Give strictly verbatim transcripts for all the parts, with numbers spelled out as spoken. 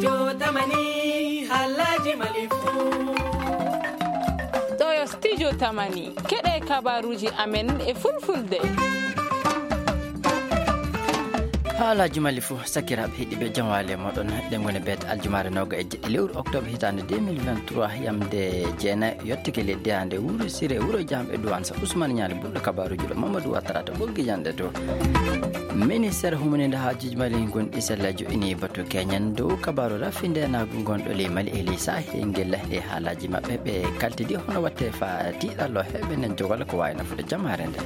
Yo tamani, haalaaji Mali fuu. Ɗo yo studio tamani. Keɗe kabaruuji amen e fulfulde. Haalaaji Mali fuu, sakiraaɓe heɗiiɓe, jam waali e mooɗon. Ɗen ngoni beete aljumaare nooga e jeɗɗi lewru octobre hitaande deux mille vingt-trois, yamde jeenayi yottike leddi hannde wuro Siree, wuro Jaam e Duwaan Sa Usmaan Ñaali ɓurɗo kabaruuji ɗo Mamadou Ouattara to ɓoggi jannde to. Ministeer humaninde haajuuji Mali ngonɗi sella jo'ini batu keñen dow kabaaru rafi ndeenaagu ngonɗo ley Mali e ley Sahel ngel e haalaaji maɓɓe ɓe kaltidi hono watte fa tiiɗallo heɓe nen jogal ko waawi nafude jamaare nde.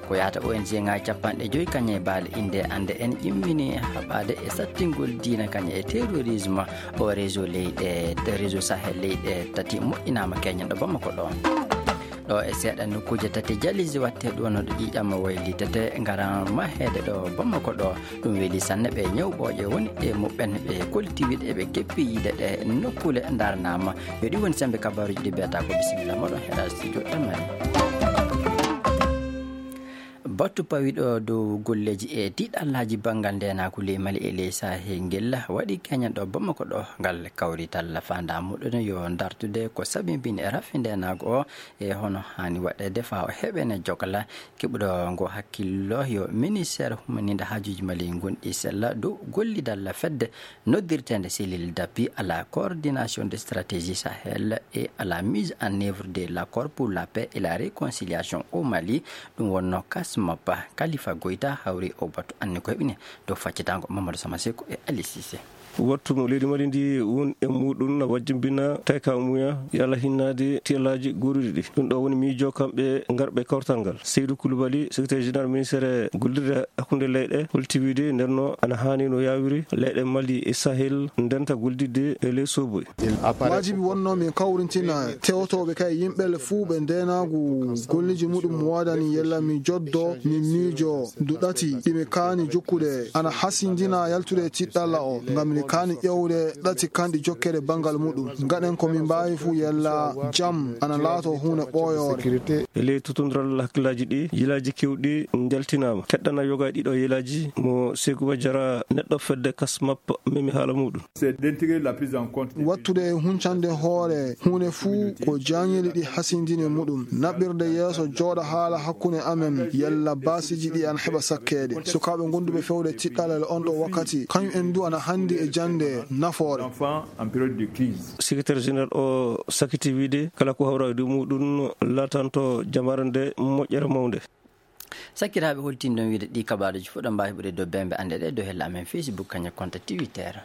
Ko yahata O N G ŋaaji capanɗe joyi kañe e baale innde annde en ƴimmini haɓaade e sattingol diina kañe e terrorisme o réseau leyɗe, réseau Sahel leyɗe tati moƴƴinaama keñen ɗo Bamako ɗo. Ɗo e seeɗa nokkuuje tati jalisi watte ɗo no ɗo ƴiiƴam waylitete ngaran maheede ɗo Bamako ɗo. Ɗum weli sanne ɓe ñawɓooje woni e muɓɓen ɓe kolti wiɗe ɓe keppi yiide ɗe nokkule ndarnaama. Yo ɗi woni sembe kabaruuji ɗi beeta ko bisimilla moɗon heɗa studio tamani. Batu pawiɗo dow golleeji e tiiɗallaaji banngal ndeenaagu ley Mali e ley Sahel ngel waɗi keñen ɗo Bamako ɗo ngal kawrital faandaa muɗum yo dartude ko sabimbini e rafi ndeenaagu o e hono haani waɗeede faa o heɓene jogla keɓuɗo ngo hakkillo yo ministeer humaninde haajuuji Mali ngonɗi sella dow gollidal fedde noddirteende Cellule d'appui à la coordination de stratégie Sahel et à la mise en œuvre de l'accord pour la paix et la réconciliation au Mali, ɗum wonno CASMAP. Kalifa Goyta hawri o batu anni koye ɓine dow faccitango Mamadou Sama Seku e Ali Cissé. Wattu mo leydi Mali ndi won e muɗum na wajjimbina tayka muya yala hinnaade tiyalaaji goruɗi ɗi. Ɗum ɗo woni miijo kamɓe ngarɓe kawtal ngal. Seydou Koulibaly, secrétaire général ministère gollirde hakkunde leyɗe, holti wiide nden no ana haani no yawiri leyɗe Mali e Sahel ndenta gollidde e ley soboy. Waajibi wonno min kawrintina tewtooɓe kay yimɓe fuu ɓe ndeenaagu golleeji muɗum waɗani yalla mi joddo mi miijo ndu ɗati ɗi mi kaani jokkude ana hasindina yaltude tiɗɗalla o ngam mi kaani ƴewde ɗati kanɗi jokkere banngal muɗum. Ngaɗen ko min mbaawi fuu yalla jam ana laato huunde ɓooyoore. E ley totondiral hakkillaaji ɗi, yilaaji keewɗi njaltinaama. Keɗɗana yoga e ɗiɗo yilaaji mo Seku Bajara neɗɗo fedde CASMAP memi haala muɗum. C'est d'intégrer la prise en compte. Wattude e huncande hoore huunde fuu ko jaañeli ɗi hasindini muɗum. Naɓirde yeeso jooɗa haala hakkunde amen yalla baasiiji ɗi ana heɓa sakkeede. Sukaaɓe gonduɓe fewde tiɗɗalal on ɗo wakkati, kañum en du ana handi e jannde nafoore. Enfants en période de crise. Secrétaire général o sakiti wiide kala ko hawra e dow muɗum laatanto jamaare nde moƴƴere mawnde. Sakiraaɓe holtinɗon wiide ɗi kabaruuji fof ɗo mbaawi heɓude dow bembe annde ɗe dow hella amen Facebook kañum e compte Twitter.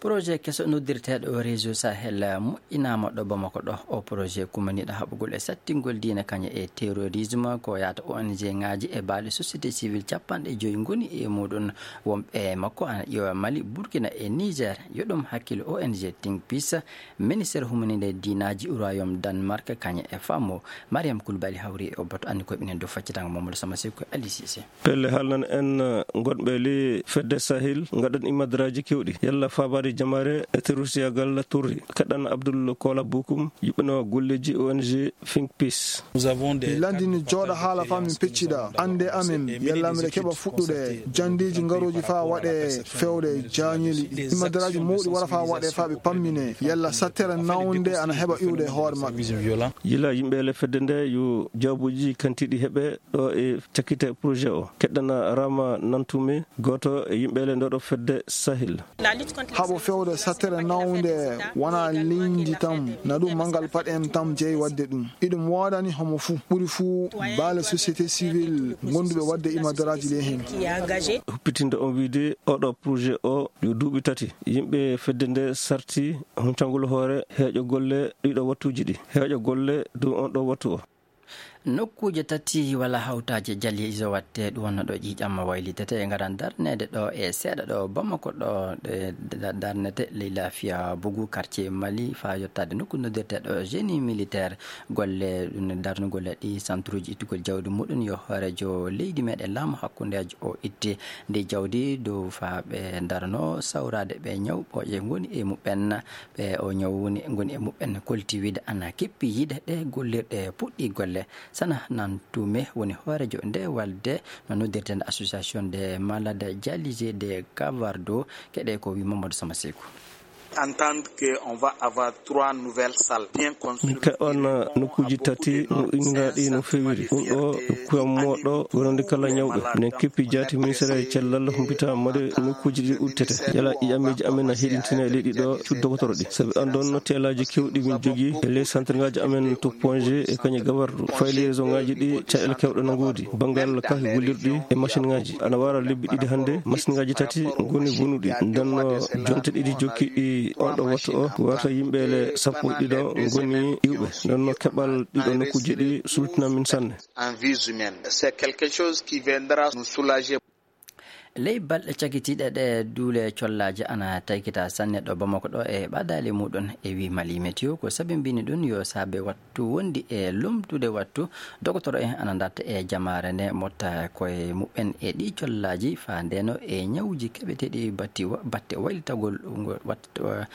Projet keso noddirteeɗo réseau Sahel moƴƴinaama ɗo Bamako ɗo. O projet kumaniiɗo haɓugol e sattingol diina kañum e terrorisme ko yahata O N G ŋaaji e baale société civile capanɗe joyi ngoni e muɗum. Wonɓe makko ana ƴeewa Mali, Burkina e Niger. Yo ɗum hakkil O N G Think Peace, ministère humaninde diinaaji Royaume Danemark kañum e famo. Mariam Koulibaly hawri e o bato anndi koye ɓinen dow faccitango Mamadou Sama Seku e Ali Cissé. Pelle haalnan en, eh, gonɓe le fedde Sahel, ngaɗan imadraji kewɗi. Yalla faabaade jamaare e terroristiyagal torri. Kaɗan Abdoul Kola Bokum, yuɓɓino golleji O N G Think Peace. Min lanndini jooɗa haala faa min peccida annde amen. Yalla miɗo keɓa fuɗɗude janndeeji ngarooji faa waɗe fewde jaañeli. Imadraji mawɗi wara faa waɗe faa ɓe pammine. Yalla sattere nawnde ana heɓa iwde e hoore maɓɓe. Yila yimɓe le fedde nde yo jawbuji kantiɗi heɓe ɗo e cakkite projet o. Keɗɗana Rama Nantume, gooto e yimɓe le ndoɗo fedde Sahel. Haɓo fewde sattere nawnde wona leydi tan, na ɗum manngal paɗen tan jeyi waɗde ɗum. Iɗum woodani homo fuu, ɓuri fuu baale société civile gonduɓe waɗde imadraji le heen. Huppitinde on wiide oɗo projet o yo duuɓi tati. Yimɓe fedde nde sarti huncangol hoore heeƴo golle ɗiɗo wattuji ɗi. Heeƴo golle dow on ɗo wattu o. Nokkuuje tati walla hawtaaje jali iso watte ɗum wonno ɗo ƴiiƴam waylitete e ngaran darneede ɗo e seeɗa ɗo Bamako ɗo, ɗe da-, darnete ley laafiya bugu quartier Mali faa yottaade nokku noddirteeɗo génie militaire. Golle ɗum darnugol e ɗi centruuji ittugol jawdi muɗum yo hooreejo leydi meɗen laamu hakkundeejo o itti ndi jawdi dow faa ɓe darno sawraade ɓe ñaw ɓooƴe ngoni e muɓɓen. Ɓe o ñaw woni, ngoni e muɓɓen kolti wiide ana keppi yiide ɗe gollirɗe puɗɗi golle. Sana Nantume woni hooreejo nde walde no noddirtee nde Association des Malades Dialysés de Kavardo, keɗe ko wi Mamadou Samasekou. Entendre que on va avoir trois nouvelles salles bien construites. Min keɓan nokkuuji tati no inniraaɗi no feewiri. Ɗum ɗo kuyan moɗo wonande kala ñawɓe. Minen keppi jaati ministère e cellal humpita mode nokkuuji ɗi udditete. Yala ƴiƴamiji amen na heɗintina e leydi ɗo cuuɗi dogotoro ɗi. Sabi anndon no teelaaji kewɗi min jogii e les centre ngaji amen to Ponge e kañe Gawardo. Fay liaison ngaji ɗi caɗeele kewɗe no ngoodi. Banngal kaki gollirɗi e machine ngaji. Ana wara lebbi ɗiɗi hannde, machine ngaji tati ngoni bonuɗi. Nden no jonte ɗiɗi jokki ɗi on ɗo wattu o, warta yimɓe le sappo e ɗiɗo ngoni iwɓe. Nden no keɓal ɗiɗo nokkuuji ɗi sultina min sanne. En vie humaine. C'est quelque chose qui viendra nous soulager. Ley balɗe cakitiiɗe ɗe duule collaaji ana taykita sanne ɗo Bamako ɗo e ɓadaali muɗum e wi Mali Météo ko sabimbini ɗum yo saabe wattu wondi e lomtude wattu. Dogotoro en ana darta e jamaare nde motta koye muɓɓen e ɗi collaaji faa ndeno e ñawuji keɓeteeɗi batti wa-, batte waylitagol ngol wat-, wa-,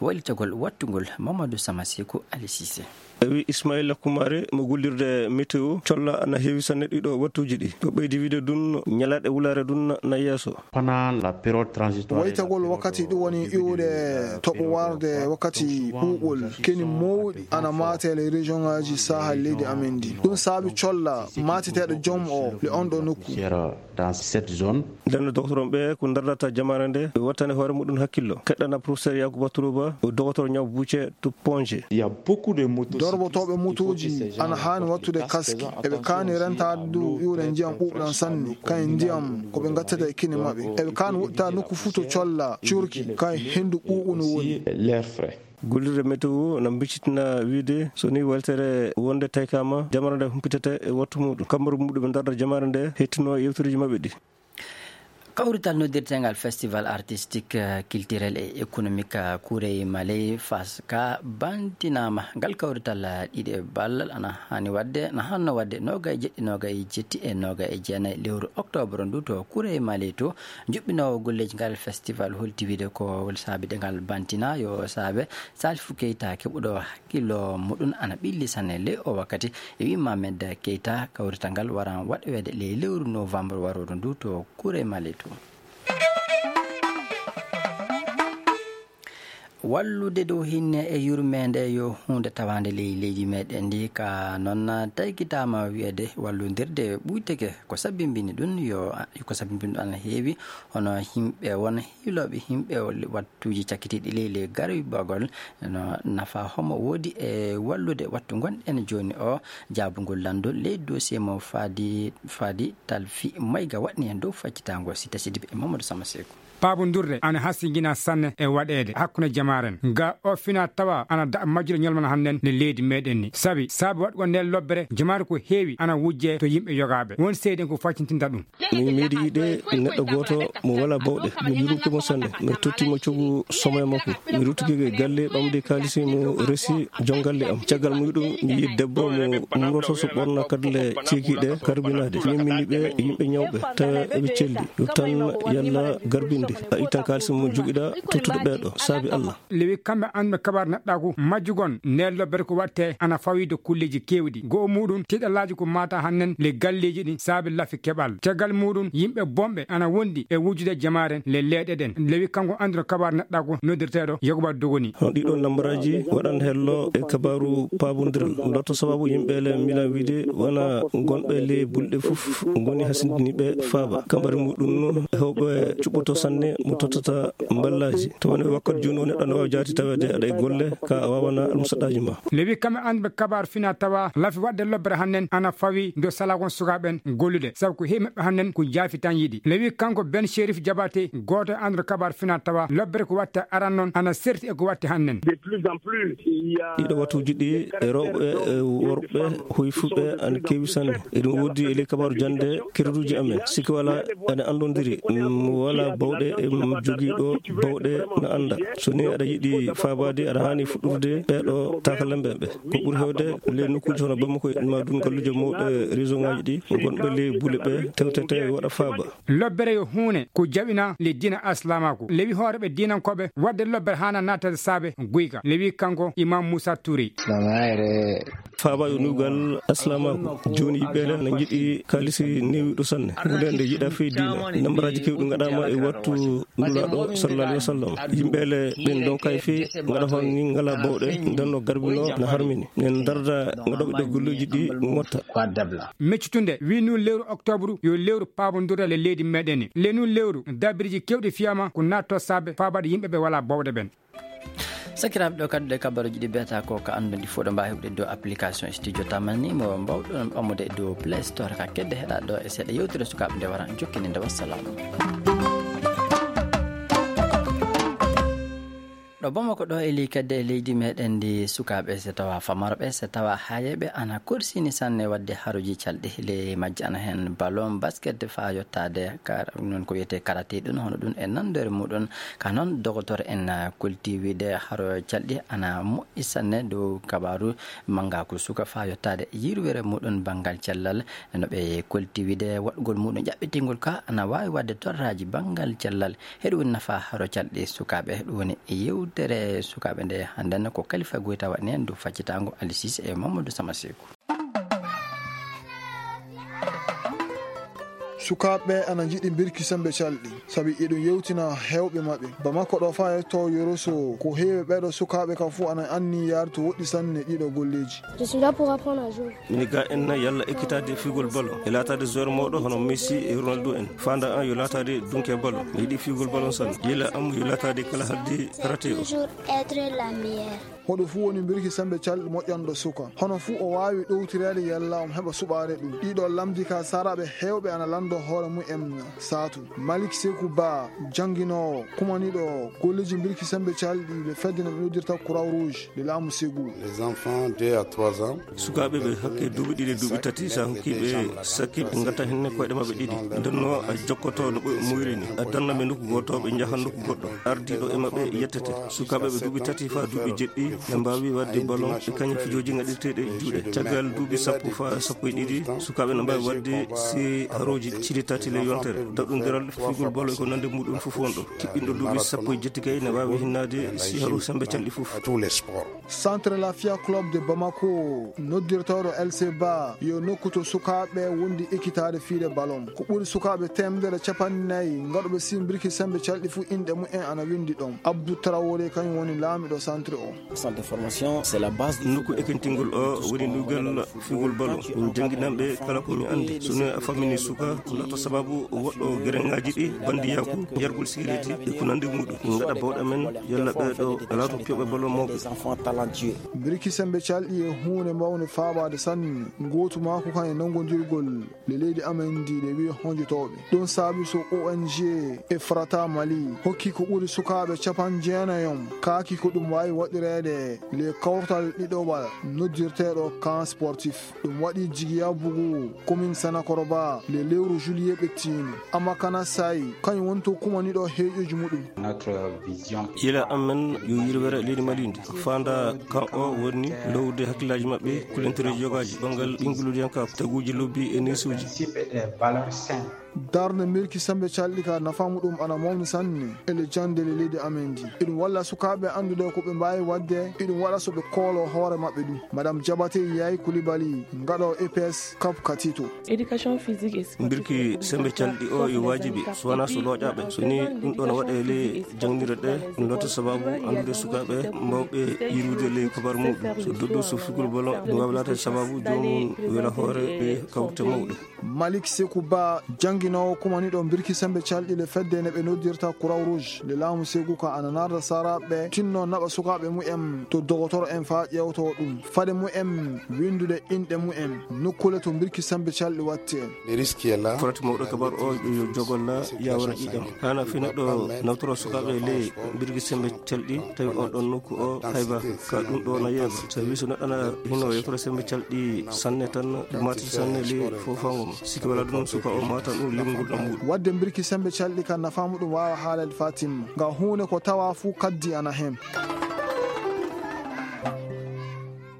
waylitagol wattugol. Mamadou Samasiku Ali Cissé. E wi Ismaila Kumare mo gollirde météo, colla ana heewi sanne ɗiɗo wattuuji ɗi. Ko ɓeydi wiide ɗum, ñalaaɗe wulaare ɗum na yeeso. Pendant la période transitoire, waytagol wakkati ɗum woni iwde toɓo warde wakkati ɓuuɓol, keni mawɗi ana maate e région ngaji Sahel leydi amen ndi. Ɗum saabi colla maateteeɗo joom o le on ɗo nokku. Dans cette zone. Nden no dogotoro ɓe ko ndardata jamaare nde, ɓe wattani hoore muɗum hakkillo. Keɗɗana professeur Yakuba Turuba, o dogotoro ñaw bucce to Ponge. Il y a beaucoup de motocyclistes. Dorbotoɓe motooji ana haani wattude casque. Eɓe kaani rentaade du iwde ndiyam ɓuuɓɗam sanne. Kayen ndiyam ko ɓe ngattata e kine maɓɓe. Eɓe kaani woɗɗitaade nokku fuu to colla, curki, kayen henndu ɓuuɓu no woni. L'air frais. Gollirde météo na mbiccitina wiide so ni weltere wonde taykama, jamaare nde humpitete e wattu muɗum. Kammaru muɗum ɓe darda jamaare nde hettino yewtereji maɓɓe ɗi. Kawrital noddirteengal Festival Artistique, eh, Culturel et Économique, eh, Kurey Maley Fas ka bantinaama. Ngal kawrital, eh, ɗiɗi e ballal ana hani waɗde, na hanno waɗde noogay e jeɗɗi, noogay e jetti e noogay e jeenay lewru oktoobar ndu to Kurey Maley to. Juɓɓinoowo golleeji ngal festival holti wiide ko saabi de ngal bantina yo saabe Salifou Keita keɓuɗo hakkillo muɗum ana ɓilli sanne ley o wakkati. E wi Mohamed Keita, kawrital ngal waran waɗoweede ley lewru novembre warooru ndu to Kurey Maley to. Wallude dow hinne e yurmeende yo huunde tawaande ley leydi meɗen ndi, ka noon taykitaama wiyeede wallondirde ɓuyteke ko sabimbini ɗum yo, ko sabimbini ɗum ana heewi, hono yimɓe won hiilooɓe yimɓe wattuuji cakkitiiɗi ley ley garibagol no nafa homo woodi e wallude wattu ngonɗen jooni o. Jaabugol lanndol ley dossier mo Faadi, Faadi Talfi Mayga waɗni heen dow faccitaango Sita Sidibe e Mamadou Sama Seeku. Paabondirde ana hasingina sanne e waɗeede hakkunde jamaaren. Nga o fina tawa ana da majjude ñalmana hannden nde leydi meɗen ni. Sabi, sabi waɗugol nde lobbere jamaare ko heewi ana wujje to yimɓe yogaaɓe. Won seeden ko faccintinta ɗum. Min miɗi yiɗe neɗɗo gooto mo wala bawɗe. Mi yurmike mo sanne. Mi totti mo cogu somo e makko. Mi ruttike e galle ɓamde kaalisi mo resi jongalle am. Caggal muɗum mi yi debbo mo muroto so ɓorna kadle ceekiɗe karbinaade. Min min ɓe yimɓe ñawɓe tawa eɓe celli. Yo tan yalla garbinde. A ittan kaalisi mo jogiɗa tottude ɓeeɗo. Saabi Allah. Lewi kamɓe annduɓe kabaar neɗɗaaku majjugon nde lobbere ko watte ana fawii dow kulleeji keewɗi. Go'o muɗum tiiɗalaaji ko maata hannen le galleeji ɗin saabe lafi keɓal. Caggal muɗum yimɓe bonɓe ana wondi e wujjude jamaaren le leeɗe ɗen. Lewi kanko annduɗo kabaar neɗɗaaku noddirteeɗo Yakuba Dogoni. Hono ɗiɗo nambaraaji waɗan hello e kabaaru paabondiral. Ndotto sababu yimɓe le milan wiide wona gonɓe le bulɗe fof ngoni hasindiniiɓe faaba. Kambari muɗum hewɓe cuɓɓoto sanne mo tottata mballaaji. To woni wakkati jooni o neɗɗo ne waawi jaati taweede aɗa e golle ka a waawana almusaɗaaji ma. Lewi kamɓe annduɓe kabaar fina tawa lafi waɗde lobbere hannen ana fawi do salagon sukaaɓen gollude. Sabu ko heewi maɓɓe hannen ko jaafi tan yiɗi. Lewi kanko Ben Sherif Jabate gooto e annduɗo kabaar fina tawa lobbere ko watte aran non ana serti e ko watte hannen. De plus en plus, il y a ɗiɗo wattuuji ɗi e rewɓe e worɓe hoyfuɓe ana keewi sanne. Eɗum woodi e ley kabaaru jannde kereruuji amen. Sikki wala ene anndondiri, mm, wala bawɗe, e, mm, jogiiɗo bawɗe na annda. So ni Aɗa yiɗi faabaade, aɗa haani fuɗɗude ɓeeɗo taakalamɓe ɓe. Ko ɓuri heewde ley nokkuuji hono Bamako e ma ɗum galluuje mawɗe région ŋaaji ɗi, gonɓe ley bule ɓe tewtete waɗa faaba. Lobbere yo huune ko jaɓina le diina Islamaku. Lewi hooreɓe diinankooɓe waɗde lobbere haana naatade saabe guyka. Lewi kanko Imam Moussa Touré. Faaba yo nuugal Islamaku. Jooni yimɓe le na njiɗi kaalisi newiɗo sanne. Huunde nde yiɗa fey diina. Nambaraaji kewɗi ngaɗaama e wattu Nulaaɗo sallallahu alaihi wasallam. Yimɓe le ɓen ɗon kay fey ngaɗa hon ni ngala bawɗe, nden no garbino na harmini. Nen darda ngaɗoɓe ɗo golleji ɗi motta. Meccutunde wi nu lewru octobre yo lewru paabondirde le leydi meɗen ni. Le nu lewru dabiriji kewɗi fiyama ko natto saabe faabaɗe yimɓe ɓe wala bawɗe ɓen. Sakiraaɓe, ɗo kadi ɗe kabaruji ɗi beta ko ka andude fof ɗo mbawi heɓde dow application studio tamani mo mbawɗon ɓammude e dow Play Store ka kedde heɗa ɗo e seeɗa yewtere sukaaɓe nde wara jokkini nde. Wassalamu. Ɗo Bamako ɗo e ley kedde e leydi meɗen ndi sukaaɓe so tawa famarɓe so tawa hayeɓe ana korsini sanne wadde haruji calɗi le majji ana hen ballon basket fa yottade ka non ko wiyete karate ɗum hono ɗum e nandore muɗum. Ka noon, dogotor en, ah, kolti wiide haro calɗi ana moƴƴi sanne dow kabaaru manngaku suka faa yottaade yirwere muɗum banngal cellal. No ɓe kolti wiide waɗugol muɗum ƴaɓɓitingol ka ana waawi waɗde torraaji banngal cellal. Heɗo woni nafa haro calɗi sukaaɓe, ɗum woni yewtere sukaaɓe nde hannden ko Kalifa Goyta waɗani en dow faccitaango Ali Sise e Mamadou Sama Seku. Sukaaɓe ana njiɗi mbirki sembe calɗi, sabi eɗum yewtina heewɓe maɓɓe. Bamako ɗo faa yetto Yoroso, ko heewi ɓeeɗo sukaaɓe ka fuu ana anni yaartu woɗɗi sanne ɗiɗo golleeji. Je suis là pour apprendre à jouer. Mini ga en na yalla ekkitaade fiigol ballon. E laataade joueur mawɗo hono Messi e Ronaldo en. Faanda an yo laataade dunke ballon. Mi yiɗi fiigol ballon sanne. Yila am yo laataade kala haddi karate o. Toujours être la meilleure. Hoɗo fuu woni mbirki sembe calɗi moƴƴanɗo suka. Hono fuu o waawi ɗowtireede yalla omo heɓa suɓaade ɗum. Ɗiɗo lamdi ka saaraaɓe heewɓe ana lanndo hoore mumen saatu. Malik Seku Ba, jannginoowo, kumaniiɗo golleeji mbirki sembe calɗi ɗe fedde no ɓe noddirta Croix Rouge de laamu Segu. Les enfants deux à trois ans. Sukaaɓe ɓe hakke duuɓi ɗiɗi, duuɓi tati, so a hokkii ɓe sakki, ɓe ngatta heen koyɗe maɓɓe ɗiɗi. Nden no a jokkoto no ɓe muuyri ni. A danna ɓe nokku gooto, ɓe njaha nokku goɗɗo. Ardiiɗo e maɓɓe yettete. Sukaaɓe ɓe duuɓi tati faa duuɓi jeɗɗi, ɓe mbaawi waɗde ballon e kañum fijooji ngaɗirteeɗi e juuɗe. Caggal duuɓi sappo faa sappo e ɗiɗi, sukaaɓe no mbaawi waɗde si harooji cili tati le yontere. Daɗɗondiral fiigol ballon e ko nande muɗum fof won ɗo. Kiɓɓinɗo duuɓi sappo e jetti kay ne waawi hinnaade si haroo sembe calɗi fof. Centre Lafia Club de Bamako, noddirtooɗo L C Ba, yo nokku to sukaaɓe wondi ekkitaade fiide ballon. Ko ɓuri sukaaɓe teemedere capanɗe nayi ngaɗuɓe simbirki sembe calɗi fuu inɗe mumen ana winndi ɗon. Abdou Traoré kañum woni laamiɗo centre o. Centre de formation, c'est la base du football. Nokku ekkintingol o woni ndugal fiigol ballon. Min jannginan ɓe kala ko min anndi. So ne a fammini suka, ko laata sababu woɗɗo gereŋaaji ɗi, bandiyaaku, yargol sigareeti e ko nanndi muɗum. Min ngaɗa bawɗe men, yalla ɓeeɗo alaa ɗum piyoɓe ballon mawɓe. Des enfants talentueux. Mbirki sembe calɗi e huunde mawnde faabaade sanne. Ngootu maaku kan e nanngondirgol le leydi amen ndi, ɗe wi'i honjotooɓe. Ɗum saabi so O N G Efrata Mali hokki ko ɓuri sukaaɓe capanɗe jeenayi on, kaaki ko ɗum waawi waɗireede le kawtal ɗiɗowal noddirteeɗo camp sportif. Ɗum waɗi jigiya bugu commune Sanakoroba le lewru juillet ɓettiino. Amakana Sayi, kañum woni to kumaniiɗo heeƴooji muɗum. Notre vision. Yila amen yo yirwere leydi Mali ndi. Faanda kan o woni lowde hakkillaaji maɓɓe, kulentereeji yogaaji, banngal ɓinnguludiyanka, taguuji lobbi e neesuuji. Principe et valeurs saines. Darnde mbirki sembe calɗi ka nafa muɗum ana mawni sanne e le jannde le leydi amen ndi. Eɗum walla sukaaɓe anndude ko ɓe mbaawi waɗde, eɗum waɗa so ɓe koolo hoore maɓɓe ɗum. Madame Diabaté Yaye Coulibaly, ngaɗo E P S Cap Katito. Éducation physique et sportive. Mbirki sembe calɗi o yo waajibi, so wanaa so looƴaaɓe. So ni ɗum ɗo no waɗe ley jangnirɗe ɗe, ɗum loota sababu anndude sukaaɓe mawɓe yirude ley kabar muɗum. So doddu so figol ballon, ɗum waawi laatade sababu joomum wela hoore ɗe kawrite mawɗe. Malik Seku Ba, jannginoowo kumaniiɗo mbirki sembe calɗi le fedde ne ɓe noddirta Croix Rouge, le laamu Segu ka ana narda saraaɓe tinno naɓa sukaaɓe mumen to dogotoro en faa ƴeewtoo ɗum. Fade mumen winndude inɗe mumen, nokkuule to mbirki sembe calɗi watte. Le risque est là. Farati mawɗo kabar o yo jogol la yawara ƴiƴam. Hana fi neɗɗo nawtoro sukaaɓe ley mbirki sembe calɗi, tawi on ɗon nokku o hayba ka ɗum ɗo na yeeba. Sabi so neɗɗo na hino yewtoro sembe calɗi sanne tan, ɗum mati sanne ley fofango mo. Sikki wala ɗum suka o matan Wadde mbirki sembe calɗi kan nafaa muɗum waawa haalede faa timma. Nga huune ko tawaa fuu kaddi ana hen.